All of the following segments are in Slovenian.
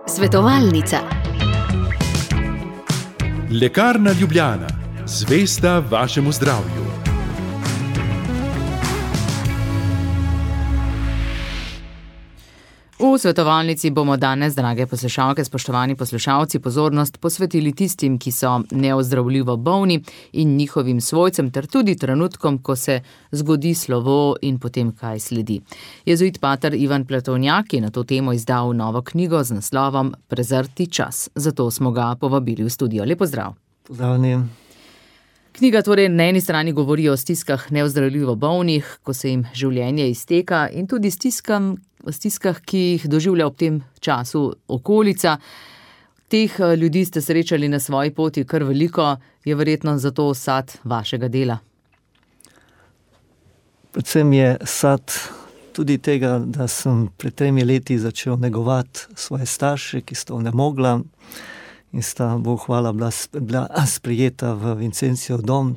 Svetovalnica. Lekarna Ljubljana, zvesta vašemu zdravju. V svetovalnici bomo danes, drage poslušalke, spoštovani poslušalci, pozornost posvetili tistim, ki so neozdravljivo bolni in njihovim svojcem, ter tudi trenutkom, ko se zgodi slovo in potem kaj sledi. Jezuit pater Ivan Pletovnjak je na to temo izdal novo knjigo z naslovom Prezrti čas. Zato smo ga povabili v studio. Lep pozdrav. Pozdravljen. Knjiga torej na eni strani govori o stiskah neozdravljivo bolnih, ko se jim življenje izteka, in tudi stiskah, ki jih doživlja ob tem času okolica. Teh ljudi ste srečali na svoji poti kar veliko, je verjetno zato sad vašega dela. Predvsem je sad tudi tega, da sem pred 3 leti začel negovati svoje starše, ki sta onemogla in sta, Bog hvala, bila sprejeta v Vincencijev dom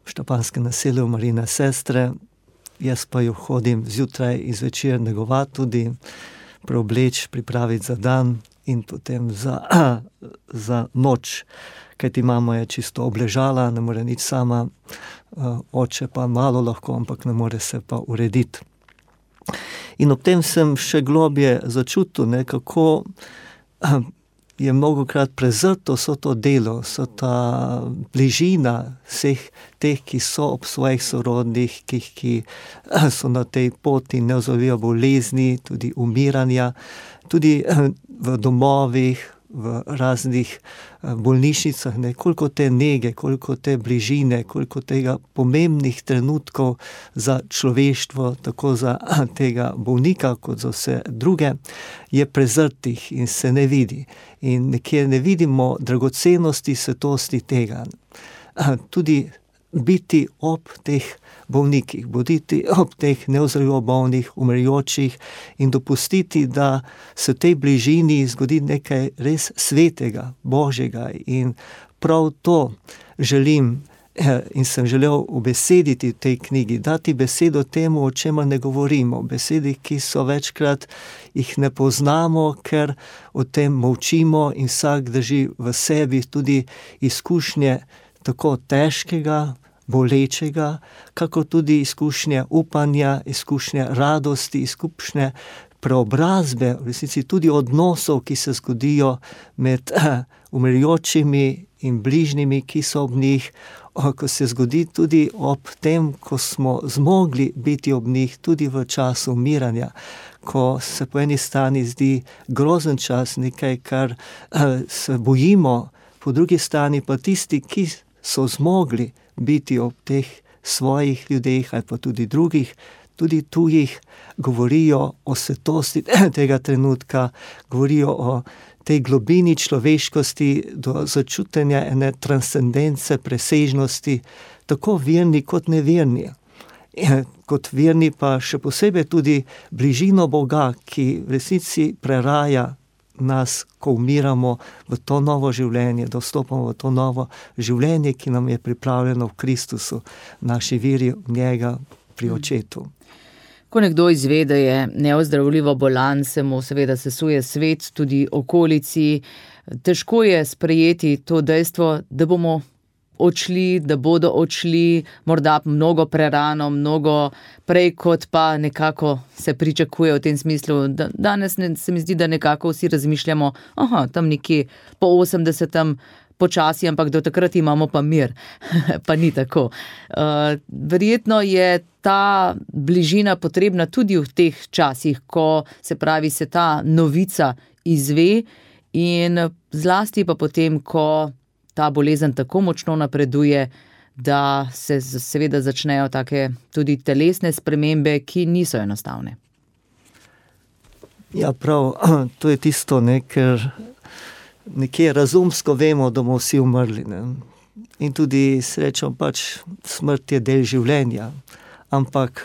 v Štapanskem naselju Marijine sestre. Jaz pa jo hodim zjutraj in zvečer negovati, tudi preobleč, pripraviti za dan in potem za noč. Kajti mama je čisto obležala, ne more nič sama, oče pa malo lahko, ampak ne more se pa urediti. In ob tem sem še globje začutil, kako je mnogokrat prezrto vso to delo, vso ta bližina vseh teh, ki so ob svojih sorodnih, ki so na tej poti neozdravljive bolezni, tudi umiranja, tudi v domovih, v raznih bolnišnicah, koliko te nege, koliko te bližine, koliko tega pomembnih trenutkov za človeštvo, tako za tega bolnika, kot za vse druge, je prezrtih in se ne vidi. In nekje ne vidimo dragocenosti, svetosti tega. Tudi biti ob teh bolnikih, boditi ob teh neozdravljivo bolnih, umirajočih in dopustiti, da se v tej bližini zgodi nekaj res svetega, božjega. In prav to želim in sem želel ubesediti v tej knjigi, dati besedo temu, o čemer ne govorimo, besedi, ki so večkrat jih ne poznamo, ker o tem molčimo in vsak drži v sebi tudi izkušnje tako težkega, bolečega, kako tudi izkušnje upanja, izkušnje radosti, izkušnje preobrazbe, v resnici tudi odnosov, ki se zgodijo med umirajočimi in bližnjimi, ki so ob njih, ko se zgodi tudi ob tem, ko smo zmogli biti ob njih, tudi v času umiranja, ko se po eni strani zdi grozen čas, nekaj, kar se bojimo, po drugi strani pa tisti, ki so zmogli biti ob teh svojih ljudeh ali pa tudi drugih, tudi tujih, govorijo o svetosti tega trenutka, govorijo o tej globini človeškosti, do začutenja ene transcendence, presežnosti, tako verni kot neverni. Kot verni pa še posebej tudi bližino Boga, ki v resnici preraja nas, ko umiramo v to novo življenje, da vstopamo v to novo življenje, ki nam je pripravljeno v Kristusu, naši veri v njega pri očetu. Ko nekdo izve, da je neozdravljivo bolan, se mu seveda sesuje svet, tudi okolici. Težko je sprejeti to dejstvo, da bomo odšli, da bodo odšli, morda mnogo prerano, mnogo prej, kot pa nekako se pričakuje v tem smislu. Danes se mi zdi, da nekako vsi razmišljamo, tam nekje po 80. počasi, ampak do takrat imamo pa mir. Pa ni tako. Verjetno je ta bližina potrebna tudi v teh časih, ko se ta novica izve, in zlasti pa potem, ko ta bolezen tako močno napreduje, da se seveda začnejo take tudi telesne spremembe, ki niso enostavne. Ja, prav, to je tisto, ker nekje razumsko vemo, da bomo vsi umrli. In tudi srečo smrt je del življenja. Ampak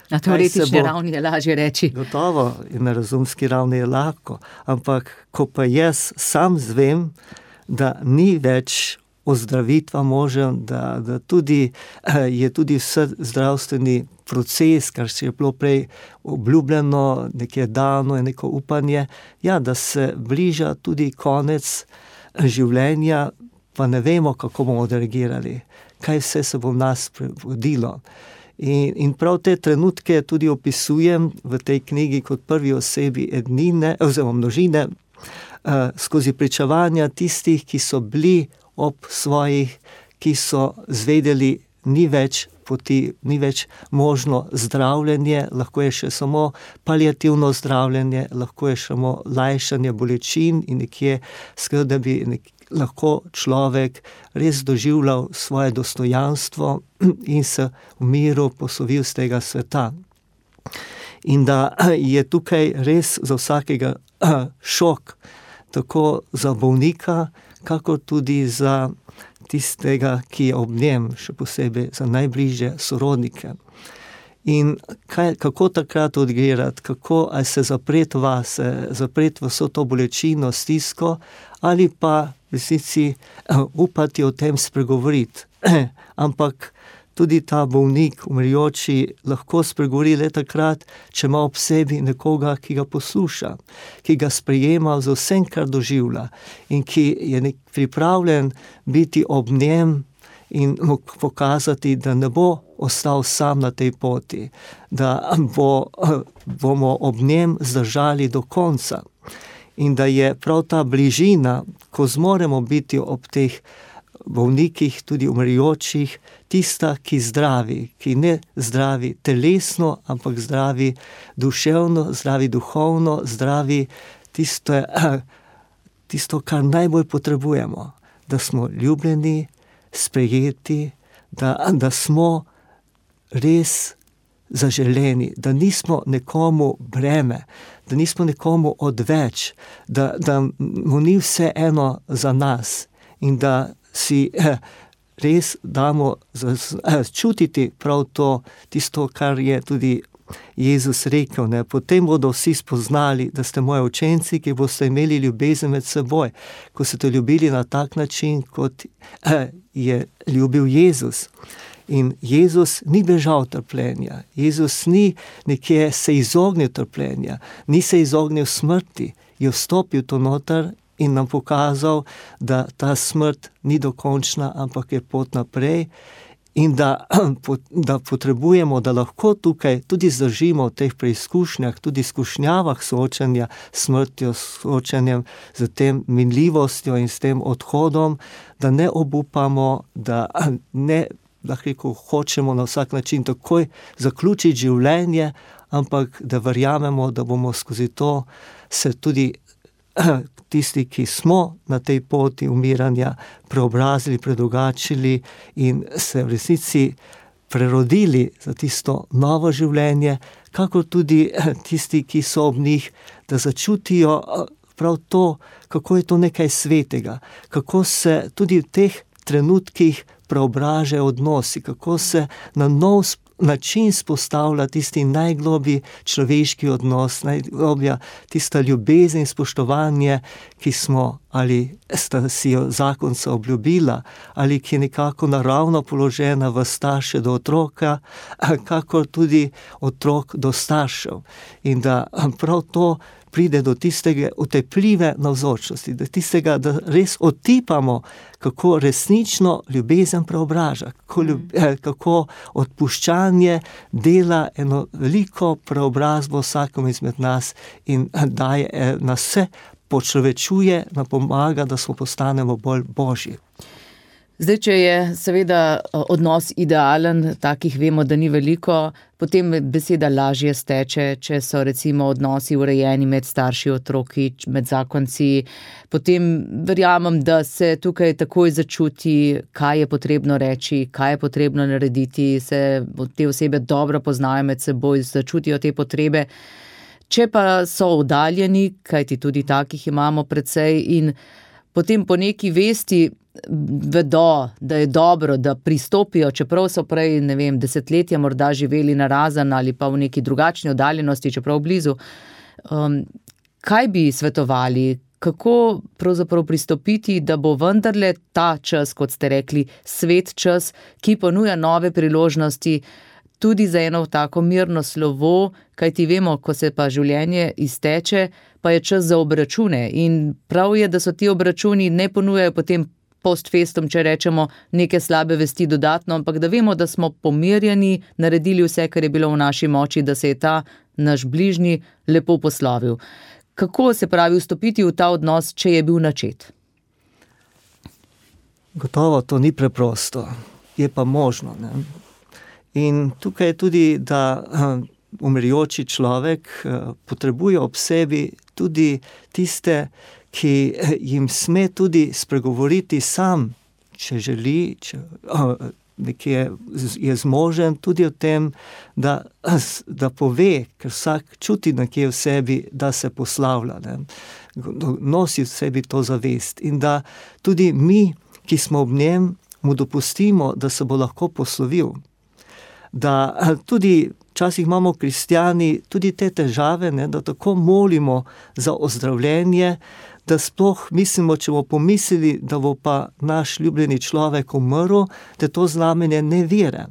na teoretični ravni je lažje reči. Gotovo, in na razumski ravni je lahko. Ampak ko pa jaz sam zvem, da ni več ozdravitva možen, da tudi je tudi vse zdravstveni proces, kar se je bilo prej obljubljeno, nekje dano je neko upanje, ja, da se bliža tudi konec življenja, pa ne vemo, kako bomo odreagirali, kaj vse se bo v nas prevodilo. In prav te trenutke tudi opisujem v tej knjigi kot prvi osebi ednine, oziroma množine, skozi pričevanja tistih, ki so bili ob svojih, ki so zvedeli, ni več poti, ni več možno zdravljenje, lahko je še samo paliativno zdravljenje, lahko je samo lajšanje bolečin in nekje skrb, da bi lahko človek res doživljal svoje dostojanstvo in se v miru poslovil z tega sveta. In da je tukaj res za vsakega šok, tako za bolnika, kakor tudi za tistega, ki je ob njem, še posebej za najbližje sorodnike. In kako takrat odreagirati, ali se zapreti vase, zapreti v vso to bolečino, stisko, ali pa v resnici upati o tem spregovoriti. Ampak tudi ta bolnik, umirajoči, lahko spregovori le takrat, če ima ob sebi nekoga, ki ga posluša, ki ga sprejema z vsem, kar doživlja in ki je pripravljen biti ob njem in mu pokazati, da ne bo ostal sam na tej poti, da bomo ob njem zdržali do konca. In da je prav ta bližina, ko zmoremo biti ob teh bolnikih, tudi umirajočih, tista, ki zdravi, ki ne zdravi telesno, ampak zdravi duševno, zdravi duhovno, zdravi tisto, kar najbolj potrebujemo, da smo ljubljeni, sprejeti, da smo res zaželeni, da nismo nekomu breme, da nismo nekomu odveč, da mu ni vse eno za nas in da si res damo čutiti prav to, tisto, kar je tudi Jezus rekel, ne? Potem bodo vsi spoznali, da ste moji učenci, ki boste imeli ljubezen med seboj, ko ste ljubili na tak način, kot je ljubil Jezus. In Jezus ni bežal trpljenja, Jezus ni nekje se izognil trpljenja, ni se izognil smrti, je vstopil to noter in nam pokazal, da ta smrt ni dokončna, ampak je pot naprej in da potrebujemo, da lahko tukaj tudi zdržimo v teh preizkušnjah, tudi izkušnjavah soočanja s smrtjo, soočanjem z tem minljivostjo in s tem odhodom, da ne obupamo, da ne lahko hočemo na vsak način takoj zaključiti življenje, ampak da verjamemo, da bomo skozi to se tudi tisti, ki smo na tej poti umiranja, preobrazili, predrugačili in se v resnici prerodili za tisto novo življenje, kakor tudi tisti, ki so ob njih, da začutijo prav to, kako je to nekaj svetega, kako se tudi v teh trenutkih preobražajo odnosi, kako se na nov način spostavlja tisti najgloblji človeški odnos, najgloblja tista ljubezen in spoštovanje, ki smo ali sta si jo zakonca obljubila, ali ki je nekako naravno položena v starše do otroka, kakor tudi otrok do staršev. In da prav to pride do tistega utepljive navzočnosti, do tistega, da res otipamo, kako resnično ljubezen preobraža, kako odpuščanje dela eno veliko preobrazbo vsakom izmed nas in daje nas vse, počlovečuje, nam pomaga, da smo postanemo bolj božji. Zdaj, če je seveda odnos idealen, takih vemo, da ni veliko, potem beseda lažje steče, če so recimo odnosi urejeni med starši, otroki, med zakonci, potem verjamem, da se tukaj takoj začuti, kaj je potrebno reči, kaj je potrebno narediti, se te osebe dobro poznajo med seboj, začutijo te potrebe. Če pa so oddaljeni, kajti tudi takih imamo precej in potem po neki vesti vedo, da je dobro, da pristopijo, čeprav so prej, ne vem, desetletja morda živeli narazen ali pa v neki drugačni oddaljenosti, čeprav blizu. Kaj bi svetovali, kako pravzaprav pristopiti, da bo vendarle ta čas, kot ste rekli, svet čas, ki ponuja nove priložnosti, tudi za eno tako mirno slovo, kajti vemo, ko se pa življenje izteče, pa je čas za obračune. In prav je, da so ti obračuni ne ponujajo potem post festum, če rečemo, neke slabe vesti dodatno, ampak da vemo, da smo pomirjeni, naredili vse, kar je bilo v naši moči, da se je ta naš bližnji lepo poslovil. Kako se pravi vstopiti v ta odnos, če je bil načet? Gotovo to ni preprosto, je pa možno, ne? In tukaj je tudi, da umirajoči človek potrebuje ob sebi tudi tiste, ki jim sme tudi spregovoriti sam, če želi, če nekje je zmožen tudi o tem, da pove, ker vsak čuti nekje v sebi, da se poslavlja, ne? Nosi v sebi to zavest in da tudi mi, ki smo ob njem, mu dopustimo, da se bo lahko poslovil. Da tudi včasih imamo kristjani tudi te težave, ne, da tako molimo za ozdravljenje, da sploh mislimo, če bomo pomislili, da bo pa naš ljubljeni človek umrl, da to znamenje nevere.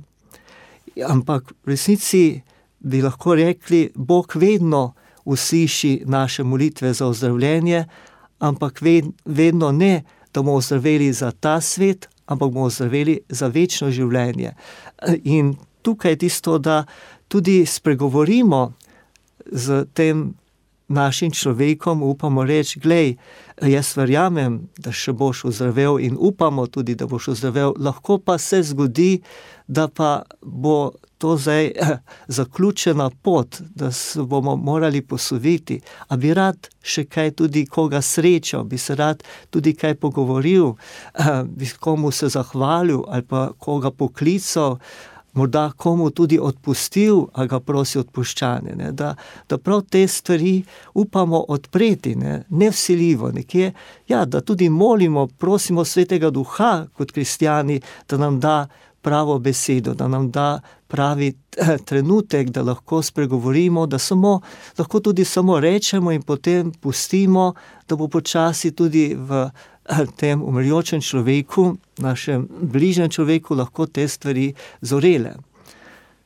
Ampak v resnici bi lahko rekli, Bog vedno usliši naše molitve za ozdravljenje, ampak vedno ne, da bomo ozdraveli za ta svet, ampak bomo ozdraveli za večno življenje. In tukaj je tisto, da tudi spregovorimo z tem našim človekom, upamo reči, glej, jaz verjamem, da še boš ozdravel in upamo tudi, da boš ozdravel, lahko pa se zgodi, da pa bo to zdaj zaključena pot, da se bomo morali posloviti. A bi rad še kaj tudi koga srečal, bi se rad tudi kaj pogovoril, bi komu se zahvalil ali pa koga poklical, morda komu tudi odpustil, a ga prosi odpuščanje, ne? Da prav te stvari upamo odpreti, ne vsiljivo, nekje, ja, da tudi molimo, prosimo Svetega Duha kot kristjani, da nam da pravo besedo, da nam da pravi trenutek, da lahko spregovorimo, da lahko tudi samo rečemo in potem pustimo, da bo počasi tudi v tem umirajočem človeku, našem bližnjem človeku, lahko te stvari zorele.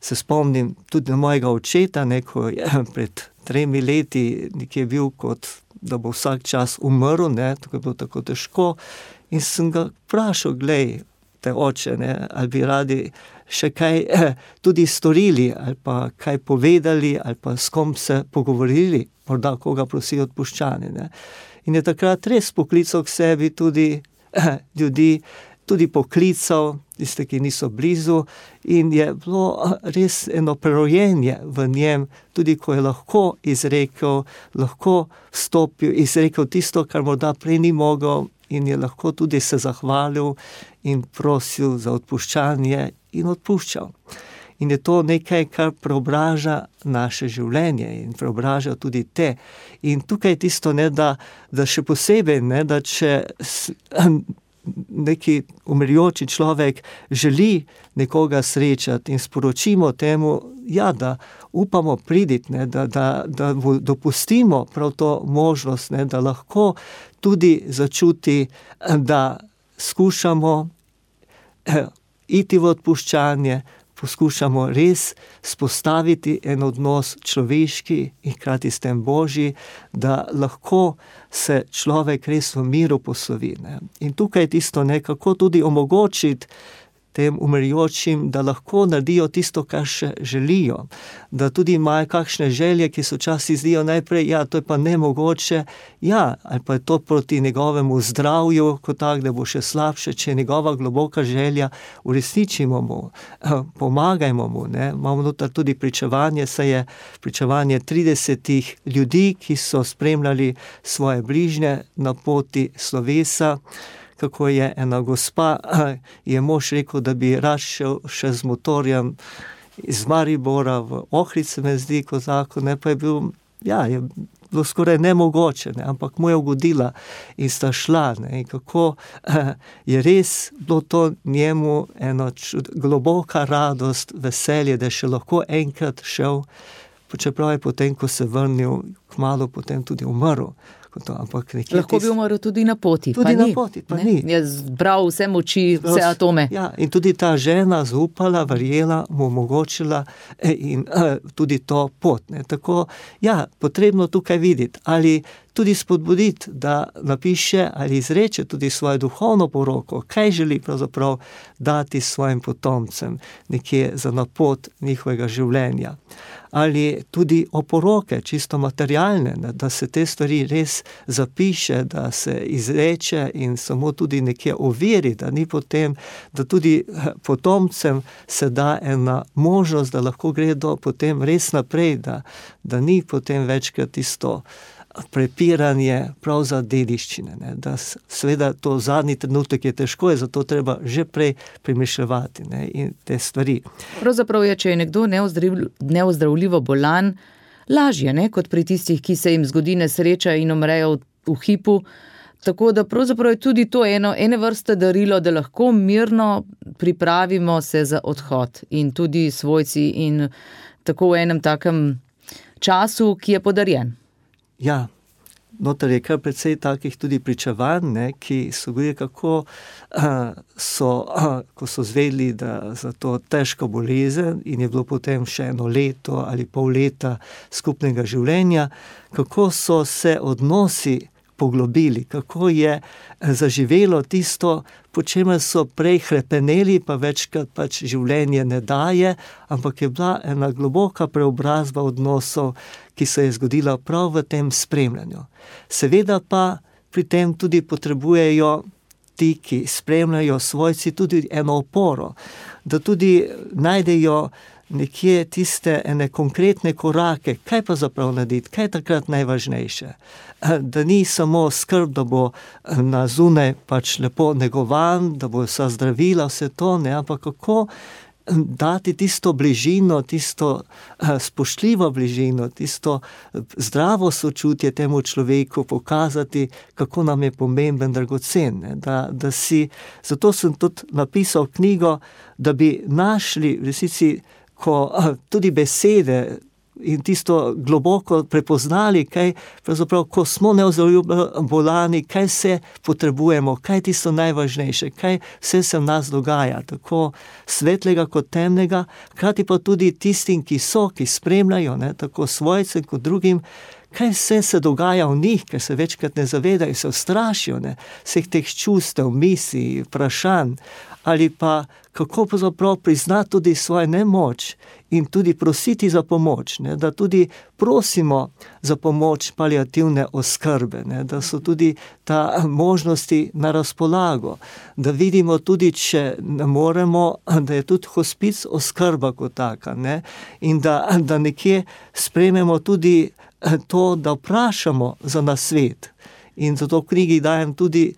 Se spomnim tudi na mojega očeta, ko je pred 3 leti nekje bil kot, da bo vsak čas umrl, tako je bilo tako težko. In sem ga vprašal, glej, te oče, ali bi radi še kaj tudi storili, ali pa kaj povedali, ali pa s kom se pogovorili, morda koga prosi odpuščanje, In je takrat res poklical k sebi tudi ljudi, tudi poklical, tiste, ki niso blizu, in je bilo res eno prerojenje v njem, tudi ko je lahko izrekel, lahko vstopil, izrekel tisto, kar morda prej ni mogel, in je lahko tudi se zahvalil in prosil za odpuščanje in odpuščal. In je to nekaj, kar preobraža naše življenje in preobraža tudi te. In tukaj je tisto, da še posebej, da če neki umirajoči človek želi nekoga srečati in sporočimo temu, ja, da upamo priditi, da dopustimo prav to možnost, da lahko tudi začuti, da skušamo iti v odpuščanje, poskušamo res spostaviti en odnos človeški in hkrati s tem Božji, da lahko se človek res v miru poslovi. In tukaj je tisto, kako tudi omogočiti tem umirajočim, da lahko naredijo tisto, kar še želijo. Da tudi imajo kakšne želje, ki se včasih zdijo najprej, ja, to je pa nemogoče, ja, ali pa je to proti njegovemu zdravju, kot tak, da bo še slabše, če je njegova globoka želja, uresničimo mu, pomagajmo mu, Imamo noter tudi pričevanje, saj je pričevanje 30 ljudi, ki so spremljali svoje bližnje na poti slovesa, kako je ena gospa, je mož rekel, da bi rad šel še z motorjem iz Maribora v Ohrice, me zdi, kot zakon, pa je bil, ja, je bilo skoraj nemogoče, ampak mu je ugodila in sta šla, in kako je res bilo to njemu ena globoka radost, veselje, da je še lahko enkrat šel čeprav je potem, ko se vrnil, kmalu potem tudi umrl. Lahko bi umrl tudi na poti, tudi na poti, pa ni. Je zbral vse moči, vse atome. Ja, in tudi ta žena zaupala, verjela, mu omogočila in tudi to pot. Ne. Tako, ja, potrebno tukaj videti, ali tudi spodbuditi, da napiše ali izreče tudi svojo duhovno poroko, kaj želi pravzaprav dati svojim potomcem nekje za napot njihovega življenja. Ali tudi oporoke, čisto materialne, da se te stvari res zapiše, da se izreče in samo tudi nekje overi, da ni potem, da tudi potomcem se da ena možnost, da lahko gredo potem res naprej, da ni potem večkrat tisto prepiranje prav za dediščine. Ne? Da seveda to zadnji trenutek je težko, je zato treba že prej premišljevati, ne? In te stvari. Pravzaprav je, če je nekdo neozdravljivo bolan, lažje, ne? Kot pri tistih, ki se jim zgodi nesreča in umrejo v hipu. Tako da pravzaprav je tudi to ene vrste darilo, da lahko mirno pripravimo se za odhod in tudi svojci in tako v enem takem času, ki je podarjen. Ja, noter je kar precej takih tudi pričevanj, ne, ki so govorili, kako ko so zvedeli, da za to težko bolezen in je bilo potem še 1 leto ali pol leta skupnega življenja, kako so se odnosi poglobili, kako je zaživelo tisto, po čemer so prej hrepeneli, pa večkrat pač življenje ne daje, ampak je bila ena globoka preobrazba odnosov, ki se je zgodila prav v tem spremljanju. Seveda pa pri tem tudi potrebujejo ti, ki spremljajo svojci, tudi eno oporo, da tudi najdejo nekje tiste ene konkretne korake, kaj pa zaprav narediti, kaj je takrat najvažnejše. Da ni samo skrb, da bo na zunaj pač lepo negovan, da bo vsa zdravila, vse to, ne, ampak kako dati tisto bližino, tisto spoštljivo bližino, tisto zdravo sočutje temu človeku, pokazati, kako nam je pomemben, dragocen. Ne, da si, zato sem tudi napisal knjigo, da bi našli v resnici, ko tudi besede in tisto globoko prepoznali, kaj pravzaprav, ko smo neozdravljivo bolani, kaj se potrebujemo, kaj je tisto najvažnejše, kaj vse se v nas dogaja, tako svetlega kot temnega, hkrati pa tudi tistim, ki spremljajo, ne, tako svojcem kot drugim, kaj vse se dogaja v njih, ker se večkrat ne zavedajo, se ustrašijo, ne, vseh teh čustev, misli, vprašanj, ali pa kako pravzaprav priznati tudi svojo nemoč in tudi prositi za pomoč, ne, da tudi prosimo za pomoč paliativne oskrbe, ne, da so tudi ta možnosti na razpolago, da vidimo tudi, če ne moremo, da je tudi hospic oskrba kot taka, ne, in da nekje sprejmemo tudi to, da vprašamo za nasvet. In zato v knjigi dajem tudi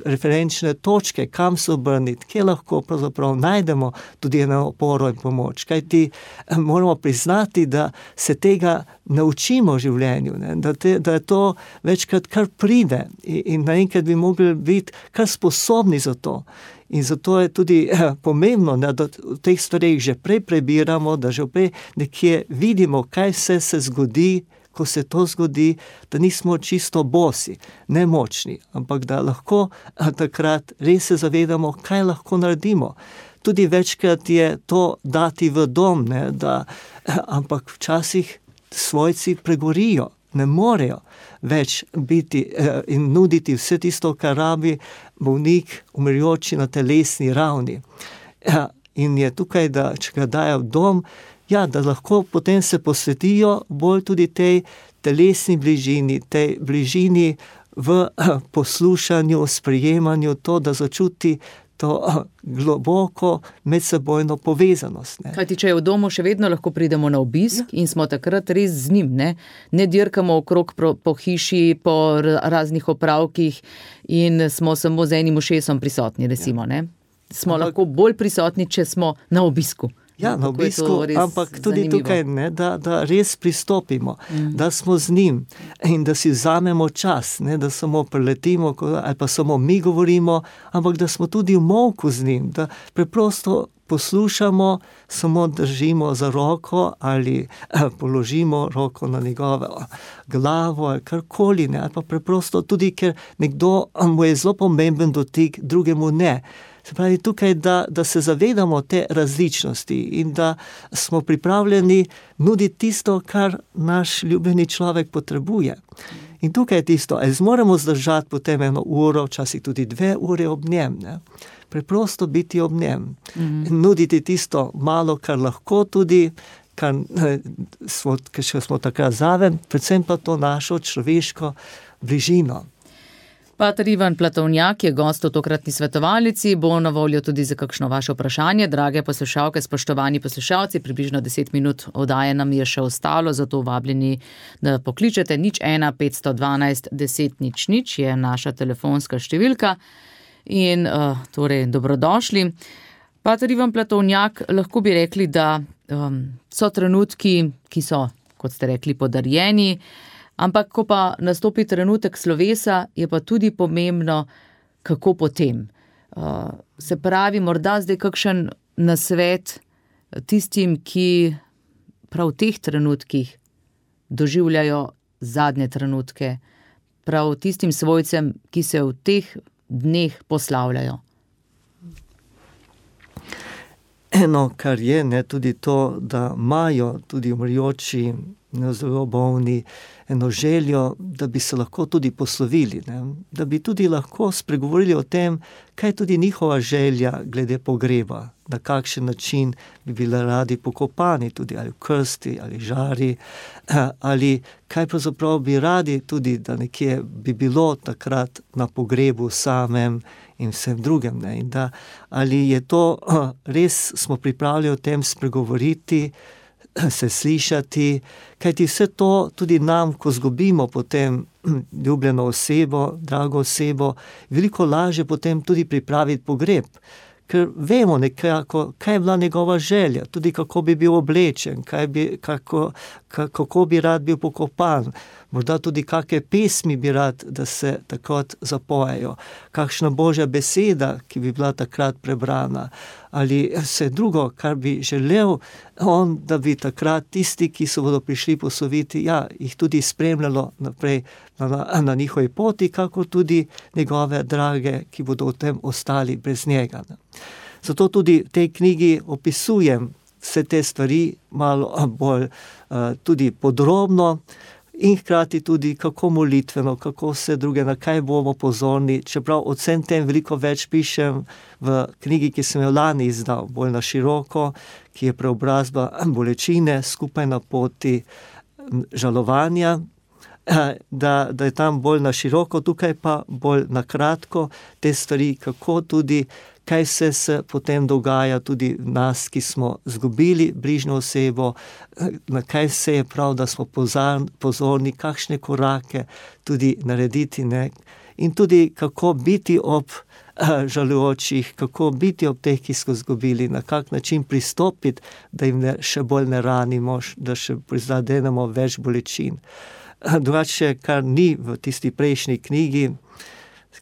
referenčne točke, kam se obrniti, kje lahko pravzaprav najdemo tudi eno oporo in pomoč. Kajti moramo priznati, da se tega ne učimo v življenju, ne? Da je to večkrat kar pride in naenkrat bi mogli biti kar sposobni za to. In zato je tudi pomembno, da v teh stvareh že prej prebiramo, da že prej nekje vidimo, kaj vse se zgodi, ko se to zgodi, da nismo čisto bosi, nemočni, ampak da lahko takrat res se zavedamo, kaj lahko naredimo. Tudi večkrat je to dati v dom, ne, ampak včasih svojci pregorijo, ne morejo več biti in nuditi vse tisto, kar rabi bolnik, umirajoči na telesni ravni. In je tukaj, da če ga dajo v dom, ja, da lahko potem se posvetijo bolj tudi tej telesni bližini, tej bližini v poslušanju, sprejemanju, to, da začuti to globoko medsebojno povezanost. Ne. Kajti, če je v domu, še vedno lahko pridemo na obisk in smo takrat res z njim, ne dirkamo okrog po hiši, po raznih opravkih in smo samo z enim ušesom prisotni, recimo, ne. Smo lahko bolj prisotni, če smo na obisku. Ja, na obisku, ampak tudi zanimivo. Tukaj, ne, da res pristopimo, da smo z njim in da si vzamemo čas, ne, da samo preletimo ali pa samo mi govorimo, ampak da smo tudi v molku z njim, da preprosto poslušamo, samo držimo za roko ali položimo roko na njegovo glavo ali karkoli, ne, ali pa preprosto tudi, ker nekdo mu je zelo pomemben dotik, drugemu ne. Se pravi tukaj, da se zavedamo te različnosti in da smo pripravljeni nuditi tisto, kar naš ljubljeni človek potrebuje. In tukaj je tisto, ali zmoremo zdržati potem 1 uro, včasih tudi 2 ure ob njem, ne? Preprosto biti ob njem. Nuditi tisto malo, kar lahko tudi, kar smo takrat zraven, predvsem pa to našo človeško bližino. Pater Ivan Platovnjak je gost v tokratni svetovalnici, bo na voljo tudi za kakšno vaše vprašanje. Drage poslušalke, spoštovani poslušalci, približno 10 minut oddaje nam je še ostalo, zato vabljeni, da pokličete 01 512 10 00 je naša telefonska številka. In torej dobrodošli. Pater Ivan Platovnjak, lahko bi rekli, da so trenutki, ki so, kot ste rekli, podarjeni, ampak ko pa nastopi trenutek slovesa, je pa tudi pomembno, kako potem. Se pravi, morda zdaj kakšen nasvet tistim, ki prav v teh trenutkih doživljajo zadnje trenutke, prav tistim svojcem, ki se v teh dneh poslavljajo. Eno, kar je, ne, tudi to, da imajo tudi umrjoči, zelo bolni, eno željo, da bi se lahko tudi poslovili, ne? Da bi tudi lahko spregovorili o tem, kaj je tudi njihova želja glede pogreba, na kakšen način bi bili radi pokopani, tudi ali v krsti, ali žari, ali kaj pravzaprav bi radi tudi, da nekje bi bilo takrat na pogrebu samem in vsem drugem, ne? In da ali je to, res smo pripravljeni o tem spregovoriti, se slišati, kajti vse to tudi nam, ko zgubimo potem ljubljeno osebo, drago osebo, veliko lažje potem tudi pripraviti pogreb, ker vemo nekako, kaj je bila njegova želja, tudi kako bi bil oblečen, kako bi rad bil pokopan, morda tudi kakšne pesmi bi rad, da se takrat zapojejo, kakšna božja beseda, ki bi bila takrat prebrana, ali vse drugo, kar bi želel on, da bi takrat tisti, ki se bodo prišli posloviti, jih tudi spremljalo naprej na njihovi poti, kako tudi njegove drage, ki bodo v tem ostali brez njega. Zato tudi v tej knjigi opisujem vse te stvari malo bolj tudi podrobno in hkrati tudi kako molitveno, kako vse druge, na kaj bomo pozorni, čeprav o vsem tem veliko več pišem v knjigi, ki sem jo lani izdal, bolj na široko, ki je preobrazba bolečine skupaj na poti žalovanja, da je tam bolj na široko, tukaj pa bolj na kratko te stvari, kako tudi, kaj vse se potem dogaja tudi nas, ki smo zgubili bližnjo osebo, na kaj vse je prav, da smo pozorni, kakšne korake tudi narediti, ne? In tudi kako biti ob žalujočih, kako biti ob teh, ki so zgubili, na kak način pristopiti, da jim še bolj ne ranimo, da še prizadenemo več bolečin. Drugače, kar ni v tisti prejšnji knjigi,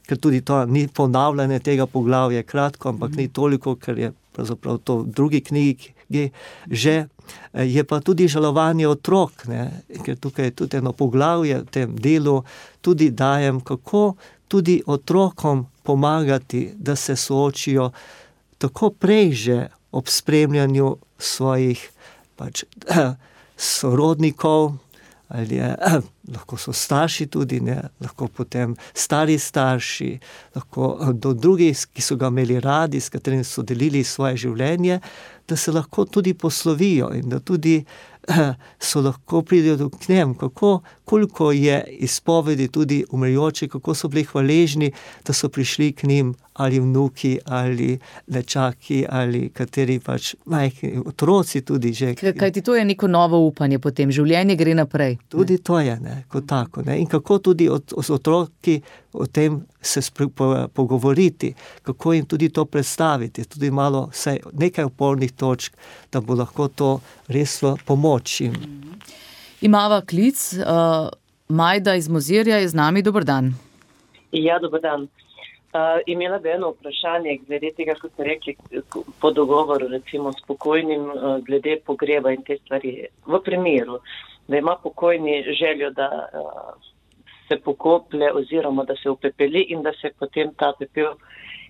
ker tudi to ni ponavljanje tega poglavja, kratko, ampak ni toliko, ker je pravzaprav to v drugi knjigi že, je pa tudi žalovanje otrok, ne? Ker tukaj je tudi eno poglavje v tem delu, tudi dajem, kako tudi otrokom pomagati, da se soočijo tako prej že ob spremljanju svojih sorodnikov, ali lahko so starši tudi, ne, lahko potem stari starši, lahko do drugih, ki so ga imeli radi, s katerimi so delili svoje življenje, da se lahko tudi poslovijo in da tudi so lahko pridejo k njem, koliko je izpovedi tudi umrjoči, kako so bili hvaležni, da so prišli k njim ali vnuki, ali nečaki, ali kateri majhni otroci tudi že. Kajti to je neko novo upanje potem, življenje gre naprej. Tudi to je, ne, kot tako, ne, in kako tudi z otroki o tem se pogovoriti, kako jim tudi to predstaviti, tudi malo nekaj opornih točk, da bo lahko to res pomoč jim. Imava klic, Majda iz Mozirja je z nami, dober dan. Ja, dober dan. Imela bi eno vprašanje glede tega, kot ste rekli, po dogovoru recimo s pokojnim, glede pogreba in te stvari. V primeru, da ima pokojni željo, da se pokoplje oziroma da se upepeli in da se potem ta pepel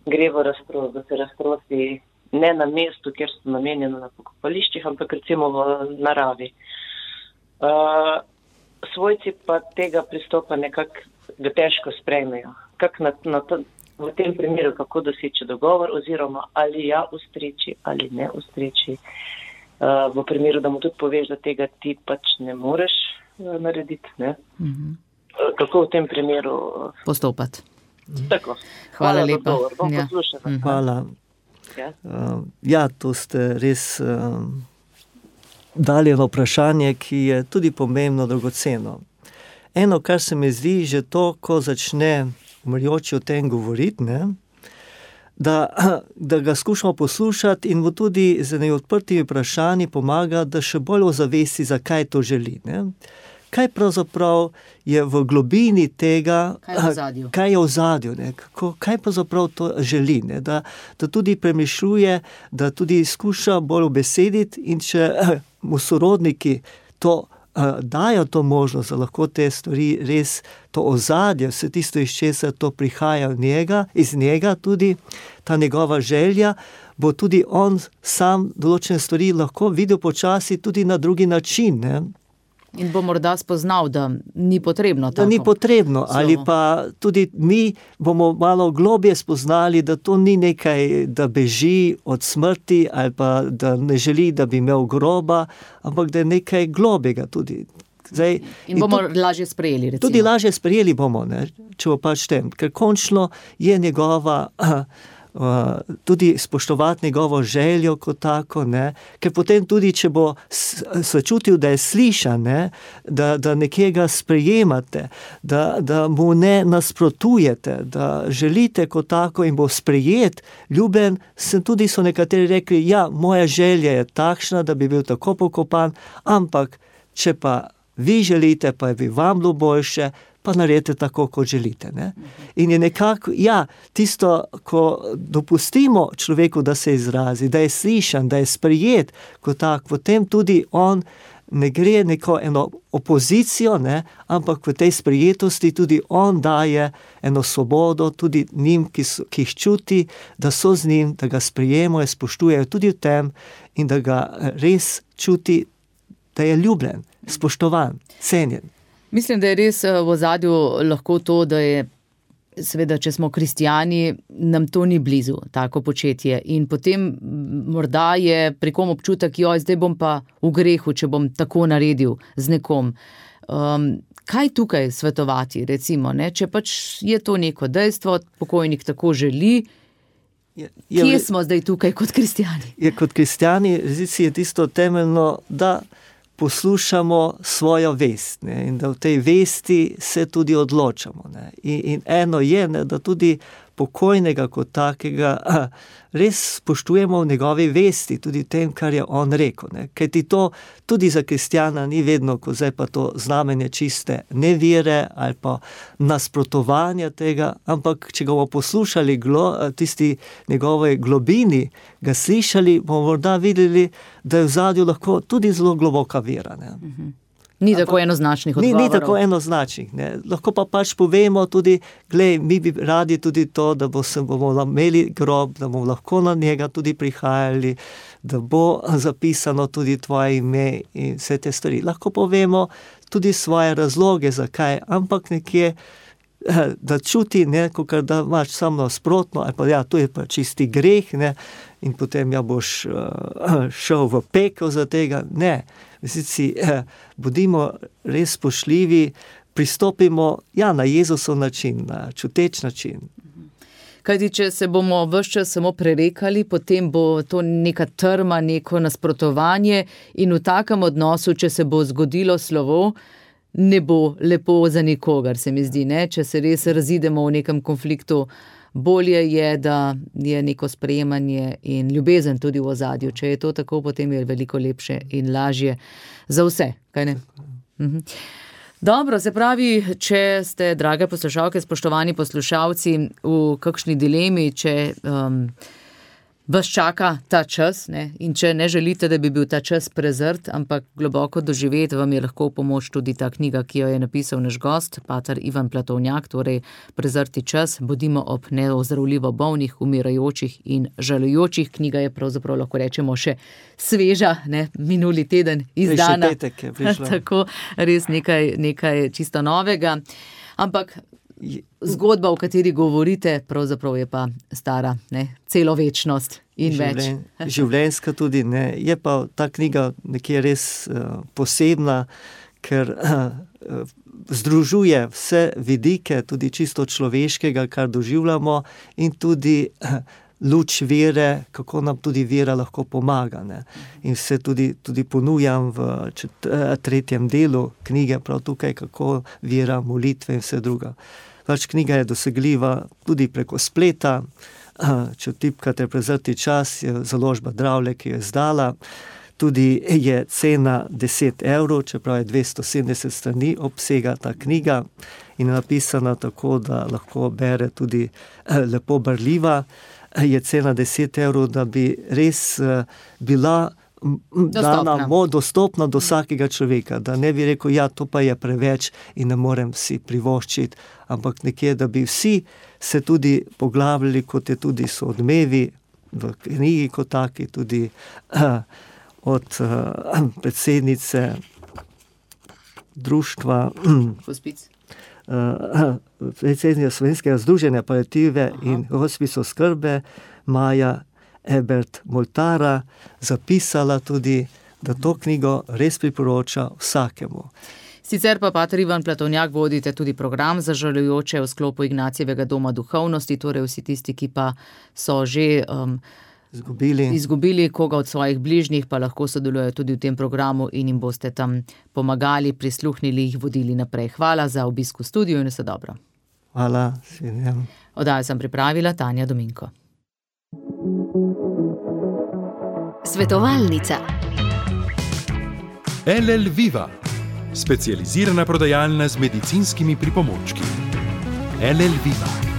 gre v razprost, da se razprosti ne na mestu, kjer so namenjeno na pokopališčih, ampak recimo v naravi. Svojci pa tega pristopa nekako težko sprejmejo. V tem primeru, kako doseči dogovor, oziroma ali ja ustreči ali ne ustreči. V primeru, da mu tudi poveš, da tega ti pač ne moreš narediti. Ne? Kako v tem primeru postopati? Tako. Hvala lepa. Bom poslušala. Hvala. Ja, to ste res dali eno vprašanje, ki je tudi pomembno, dragoceno. Eno, kar se mi zdi, že to, ko začne umrjoči o tem govoriti, ne, da ga skušamo poslušati in mu tudi z neodprtimi vprašanji pomaga, da še bolj ozavesti, zakaj to želi. Ne. Kaj pravzaprav je v globini tega, kaj je v ozadju, kaj pravzaprav to želi, ne, da tudi premišljuje, da tudi skuša bolj ubesediti, in če mu sorodniki to dajo to možnost, da lahko te stvari res, to ozadje, vse tisto, iz česa to prihaja iz njega tudi, ta njegova želja, bo tudi on sam določene stvari lahko videl počasi tudi na drugi način, ne. In bo morda spoznal, da ni potrebno tako. Da ni potrebno, ali pa tudi mi bomo malo globje spoznali, da to ni nekaj, da beži od smrti, ali pa da ne želi, da bi imel groba, ampak da je nekaj globjega tudi. Zdaj, in bomo lažje sprejeli, recimo. Tudi lažje sprejeli bomo, ne, če bo pač tem, ker končno je njegova tudi spoštovati njegovo željo kot tako, ne, ker potem tudi, če bo se čutil, da je slišan, ne, da nekega sprejemate, da mu ne nasprotujete, da želite kot tako in bo sprejet, ljuben, so nekateri rekli, ja, moja želja je takšna, da bi bil tako pokopan, ampak če pa vi želite, pa bi vam bilo boljše, pa naredite tako, kot želite. Ne? In je nekako, ja, tisto, ko dopustimo človeku, da se izrazi, da je slišan, da je sprejet, kot tak, potem tudi on ne gre neko eno opozicijo, ne, ampak v tej sprejetosti tudi on daje eno svobodo tudi njim, ki jih čuti, da so z njim, da ga sprejemajo, spoštujejo tudi v tem in da ga res čuti, da je ljubljen, spoštovan, cenjen. Mislim, da je res v ozadju lahko to, da je, seveda, če smo kristjani, nam to ni blizu, tako početje. In potem morda je pri kom občutek, zdaj bom pa v grehu, če bom tako naredil z nekom. Kaj tukaj svetovati, recimo, ne? Če pač je to neko dejstvo, pokojnik tako želi, kje smo zdaj tukaj kot kristjani? Kot kristjani, je tisto temeljno, da poslušamo svojo vest, ne, in da v tej vesti se tudi odločamo. Ne. In eno je, ne, da tudi pokojnega kot takega res spoštujemo v njegovi vesti, tudi tem, kar je on rekel. Ne. Kajti to tudi za kristjana ni vedno, ko zdaj pa to znamenje čiste nevire ali pa nasprotovanja tega, ampak če ga bomo poslušali tisti njegove globini, ga slišali, bomo morda videli, da je v zadju lahko tudi zelo globoka vera. Ne. Ni tako enoznačnih odgovorov. Ni tako enoznačnih. Ne. Lahko pa pač povemo tudi, glej, mi bi radi tudi to, da bomo imeli grob, da bomo lahko na njega tudi prihajali, da bo zapisano tudi tvoje ime in vse te stvari. Lahko povemo tudi svoje razloge, zakaj, ampak nekje, da čuti neko, kar da imaš samo nasprotno, ali pa ja, to je pa čisti greh, ne, in potem ja boš šel v pekel za tega. Ne. Bodimo res spoštljivi, pristopimo na Jezusov način, na čuteč način. Kajti, če se bomo ves čas samo prerekali, potem bo to neka trma, neko nasprotovanje in v takem odnosu, če se bo zgodilo slovo, ne bo lepo za nikogar, se mi zdi, ne? Če se res razidemo v nekem konfliktu, bolje je, da je neko sprejemanje in ljubezen tudi v ozadju. Če je to tako, potem je veliko lepše in lažje za vse, kaj ne? Dobro, se pravi, če ste, drage poslušalke, spoštovani poslušalci, v kakšni dilemi, če vas čaka ta čas, ne? In če ne želite, da bi bil ta čas prezrt, ampak globoko doživeti, vam je lahko v pomoč tudi ta knjiga, ki jo je napisal naš gost, pater Ivan Platovnjak, torej Prezrti čas, bodimo ob neozdravljivo bolnih, umirajočih in žalujočih. Knjiga je pravzaprav, lahko rečemo, še sveža, ne? Minuli teden izdana. Še petek je prišla. Tako, res nekaj čisto novega. Ampak zgodba, o kateri govorite, pravzaprav je pa stara, ne, celo večnost in več. Življenjska tudi, ne. Je pa ta knjiga nekje res posebna, ker združuje vse vidike, tudi čisto človeškega, kar doživljamo, in tudi luč vere, kako nam tudi vera lahko pomaga, ne. In se tudi ponujam v 3. delu knjige, prav tukaj, kako vera, molitve in vse druga. Knjiga je dosegljiva tudi preko spleta, če tipkate Prezrti čas, je založba Dravlje, ki jo je izdala. Tudi je cena 10 €, čeprav je 270 strani obsega ta knjiga in je napisana tako, da lahko bere tudi lepo berljiva. Je cena 10 €, da bi res bila dostopna do vsakega človeka, da ne bi rekel, ja, to pa je preveč in ne morem si privoščiti, ampak nekje, da bi vsi se tudi poglabljali, kot je tudi so Odmevi v knjigi kot taki, tudi od predsednice društva Hospic. Predsednica Slovenskega združenja paliative in hospic oskrbe Maja Ebert Moltara zapisala tudi, da to knjigo res priporoča vsakemu. Sicer pa pater Ivan Platovnjak vodite tudi program za žalujoče v sklopu Ignacijevega doma duhovnosti, torej vsi tisti, ki pa so že izgubili koga od svojih bližnjih, pa lahko sodelujejo tudi v tem programu in jim boste tam pomagali, prisluhnili, jih vodili naprej. Hvala za obisk v studiu in vse dobro. Hvala, svidenjem. Oddajo sem pripravila Tanja Dominko. Svetovalnica. LL Viva, specializirana prodajalna z medicinskimi pripomočki. LL Viva.